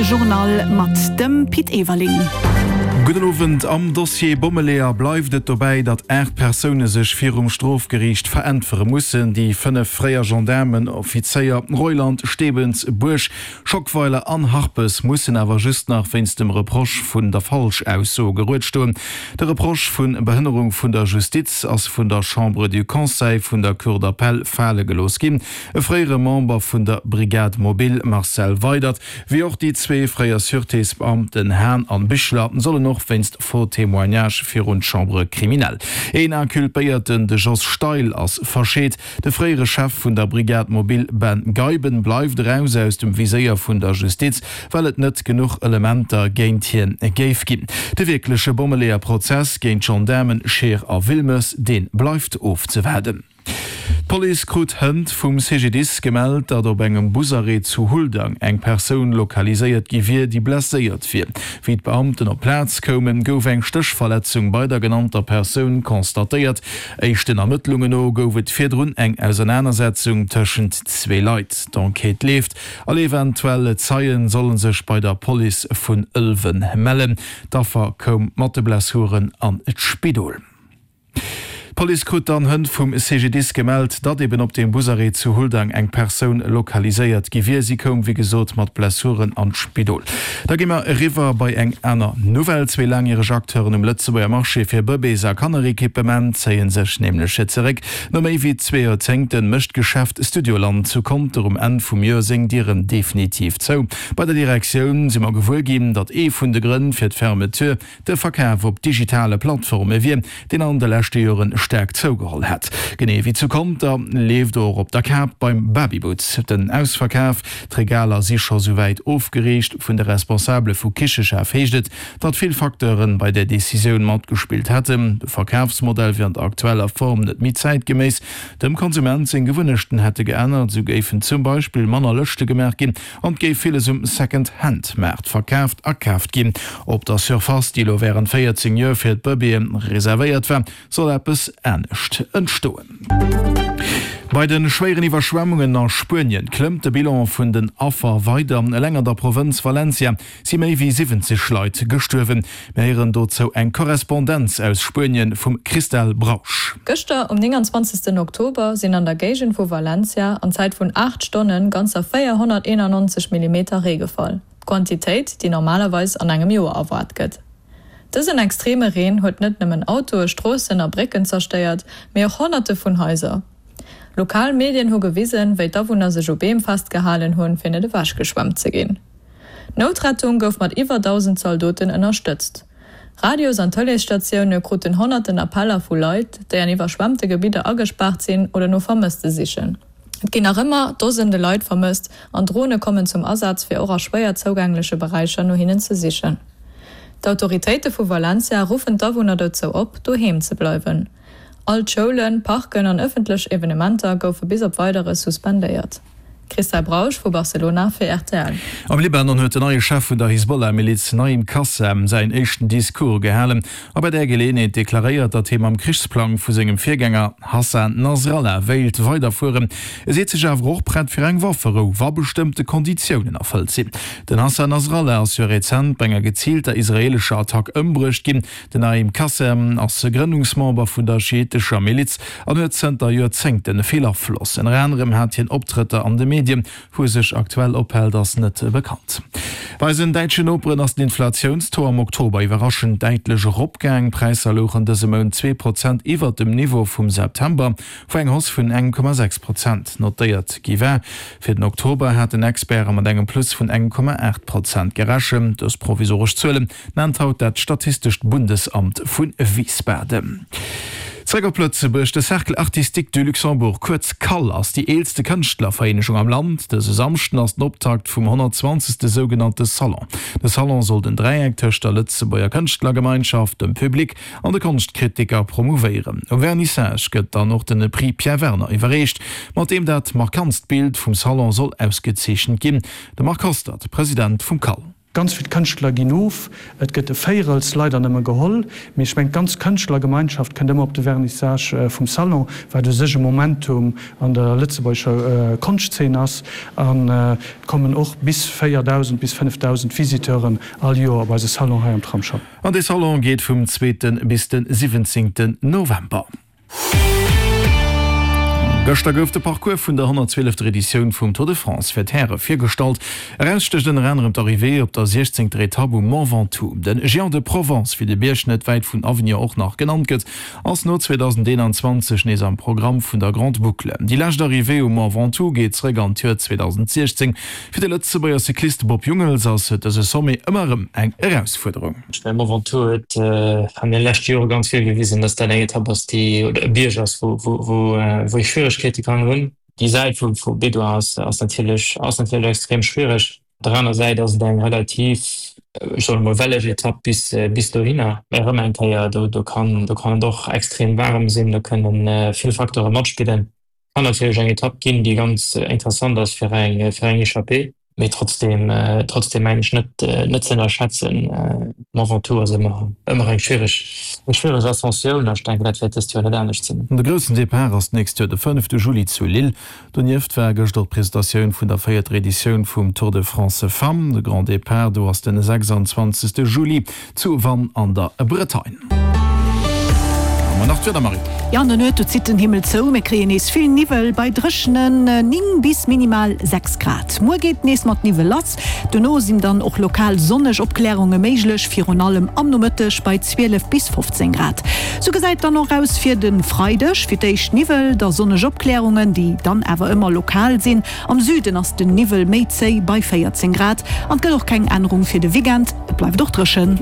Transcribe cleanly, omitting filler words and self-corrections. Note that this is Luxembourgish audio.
Journal mat dem Pit Everling. Gudden Owend. Am Dossier Bommeleeër bleift et dobäi, datt 8 Persoune sech virum Strofgeriicht veräntwere mussen. Déi 5 fréier Gendaarmenoffizéier Reuland, Stebens, Buerg, Schockweiler an Harpes mussen awer just nach wéinst dem Reproche vun der Falschausso gerued stoen. De Reproche vu Behënnerung vun der Justiz ass vun der Chambre du Conseil vun der Cour d'appel fale gelooss ginn. E fréiere Member vun der Brigade mobile Marcel Weydert, wéi och déi zwee fréier Sûretésbeamten Hahn an Bichler sollen och wéinst Faux témoignage virun d'Chambre criminelle. Een Inculpéierten, de Jos Steil, ass verscheet. De fréiere Chef vun der Brigade mobile Ben Geiben bleift eraus aus dem Viséier vun der Justiz, well et net genuch Elementer géint hien géif ginn. De wierkleche Bommeleeër-Prozess géint d'Gendaarmen Scheer a Wilmes, dee bleift ofzewaarden. D'Police krut hënt vum CGDIS gemellt, datt op engem Busarrêt zu Huldang eng Persoun lokaliséiert gi wier, déi blesséiert wier. Wéi d'Beamten op d'Plaz koumen, gouf eng Stéchverletzung bei der genannter Persoun constatéiert. Éischten Ermëttlungen no gouf et virdrun eng Ausernanersetzung tëschent zwee Leit. D'Enquête leeft. All eventuell Zeien solle sech bei der Police vun Ëlwen mellen. D'Affer koum mat de Blessuren an d'Spidol. D'Police krut dann hënt vum CGDIS gemellt, datt eben op deem Busarrêt zu Huldang eng Persoun lokaliséiert gi wier. Si koum wéi gesot mat Blessuren an d'Spidol. Da gi mer eriwwer bei eng aner Nouvelle. Zwee laangjäreg Acteuren um Lëtzebuerger Marché fir Bëbees a Kannerequipement zéie sech nämlech zeréck. No méi wéi zwee Joerzéngte mécht d'Geschäft Studioland zu Conter um Enn vum Joer seng Dieren definitiv zou. Bei der Direktioun si mer gewuer ginn, datt ee vun de Grënn fir d'Fermeture De Verkaf op digitale Plattforme wier, deen an de leschte Joren staark zougeholl hätt. Genee wéi zu Conter leeft och op der Kap beim Babyboots den Ausverkaf. D'Regaler si scho souwäit ofgeriicht. Vun de Responsabele vu Kicheschaf heescht et, datt vill Facteure bei där Decisioun matgespillt hätten. De Verkafsmodell wier an der aktueller Form net méi zäitgeméiss. Dem Konsument seng Gewunnechten hätte geännert, esou géifen zum Beispill manner Lëschte gemaach ginn An et géif villes um Second-Hand-Maart verkaaft a kaaft ginn. Op der Surface, déi elo wärend 14 Joer fir d'Bëbeeë reservéiert war, soll eppes anescht entstoen. Bei de schwéieren Iwwerschwemmungen a Spuenien klëmmt de Bilan vun den Affer weider. Eleng an der Provënz Valencia si méi wéi 70 Leit gestuerwen. Mir héieren dozou eng Korrespondenz aus Spuenien vum Christelle Brausch. Gëschter um 29 Oktober sinn an der Géigend vu Valencia an Zäit vun 8 Stonne ganzer 491 Millimeter Ree gefall, d'Quantitéit, déi normalerweis an engem Joer erwaart gëtt. Dësen extreme Reen huet net nëmmen Autoe, Stroossen a Brécken zerstéiert, mee och Honnerte vun Haiser. Lokal Medien hu gewisen, wéi d'Awunner sech u Beem festgehalen hunn, fir net ewechgeschwemmt ze ginn. D'Noutrettung gouf mat iwwer 1.000 Zaldoten ënnerstëtzt. Radios an Tëleesstatioune kruten honnerten Appeller vu Leit, déi an iwwerschwemmte Gebidder agespaart sinn oder no Vermësste sichen. Et ginn nach ëmmer Dosende Leit vermësst an Drone kommen zum Asaz, fir och a schwéier zougängleche Beräicher no hinnen ze sichen. D'Autoritéite vu Valencia ruffen d'Awunner dozou op, doheem ze bleiwen. All d'Schoulen, Parken an ëffentlech Evenementer goufe bis op Weideres suspendéiert. Christa Brausch vu Barcelona fir rtl. Am Libanon huet den neie Chef vun der Hisbollah-Miliz Naim Qassem säin éischten Discours gehalen a bei där Geleeënheet deklaréiert, datt hie mam Krichsplang vu sengem Virgänger Hassan Nasrallah wéilt weiderfueren. E seet sech awer och prett fir eng Wafferou, wa bestëmmte Konditiounen erfëllt sinn. Den Hassan Nasrallah ass jo rezent bei enger geziilter israeelescher Attack ëmbruecht ginn. Den Naim Qassem ass Grënnungsmember vun der schiitescher Miliz an huet zënter Joerzéngte vill Afloss. Ënner anerem hat hien Optrëtter an de Medien. Wou e sech aktuell ophält, ass net bekannt. Bei eisen däitschen Noperen ass den Inflatiounstaux am Oktober iwwerraschend däitlech eropgaang. D'Präisser louchen dëse Mount 2 Prozent iwwert dem Niveau vum September, wou eng Hausse vun 1,6 Prozent notéiert gi war. Fir den Oktober haten Experte mat engem Plus vun 1,8 Prozent gerechent. Dës provisoresch Zuelen Nennt haut dat Statistescht Bundesamt vu Wiesbaden. Zeréck op Lëtzebuerg, De Cercle Artistique du Luxembourg, kuerz CAL, ass déi eelste Kënschtlervereenegung am Land. Dëse Samschden ass den Optakt vum 120. Sougenannte Salon. De Salon soll den Dräieck tëscht der Lëtzebuerger Kënschtlergemeinschaft, dem Public an de Konschtkritiker promouvéieren. Um Vernissage gëtt dann och den Prix Pierre Werner iwwerreecht, mat deem dat markantst Bild vum Salon soll ausgezeechent ginn. De Marc Hostert, President vum CAL. Ganz vill Kënschtler ginn of, et gëtt e Véirels leider nëmme geholl, mee ech mengen d'ganz Kënschtlergemeinschaft kënnt ëmmer op de Vernissage vum Salon, wat u sech e Momentum an der lëtzebuergescher Konschtzeen ass. An et kommen och bis 4.000 bis 5.000 Visiteuren all Joer op eise Salon hei am Tramsschapp. An dee Salon geet vum zweete bis de 17 November. Gëschter gouf de Parcours vun der 112. Editioun vum Tour de France fir d'Häre virgestallt. Eraus stécht ënner anerem d'Arrivée op der 16. Etapp um Mont Ventoux. De Géant de Provence, wéi de Bierg net wäit vun Avignon och nach genannt gëtt, ass no 2021 nees am Programm vun der Grande Boucle. Déi lescht Arrivée um Mont Ventoux geet zeréck an d'Joer 2016. Fir de Lëtzebuerger Cyclist Bob Jungels ass dëse Sommet ëmmer erëm eng Erausfuerderung. Ech mengen, Mont Ventoux huet an de leschte Jore ganz vill gewisen, datt dat eng Etapp ass, déi, oder e Bierg ass, wou, wou, wou ee Schwieregkeete kann hunn. Déi Säit vu, vu Bédoin ass, ass natierlech, ass natierlech extrem schwiereg. Op der aner Säit ass et eng relativ, ech soen emol, welleg Etapp bis, bis dohinner. Mä erëm eng Kéier, do, do kann, do kann et och extrem waarem sinn, do kënnen vill Facteure matspillen. Kann natierlech eng Etapp ginn, déi ganz interessant ass fir eng, fir eng Echappée. Mee trotzdem, trotzdem mengen ech net, net ze ënnerschätzen. Mont Ventoux ass ëmmer, ëmmer eng schwiereg, eng schwiereg Ascensioun a ech denken, dat wäert dëst Joer net anescht sinn. De groussen Depart ass d'nächst Joer de fënnefte Juli zu Lille. Donieft war gëschter och d'Presentatioun vun der véierter Editioun vum Tour de France Femmes. De Grand Depart do ass den 26. Juli Zu Vannes an der Bretagne. An nach d'Wieder, Marie. Jo, an der Nuet, do zitt den Himmel zou, mir kréien nees vill Niwwel bei dréchenen 9 bis minimal 6 Grad. Muer geet et nees mat Niwwel lass, dono sinn dann och lokal sonneg Opklärunge méiglech, virun allem am Nomëtteg bei 12 bis 15 Grad. Sou gesäit et dann och aus fir de Freideg, fir d'éischt Niwwel, da sonneg Opklärungen, déi dann awer ëmmer lokal sinn. Am Süden ass den Niwwel méi zéi bei 14 Grad an et gëtt och keng Ännerung fir de Weekend, et bleift och dréchen.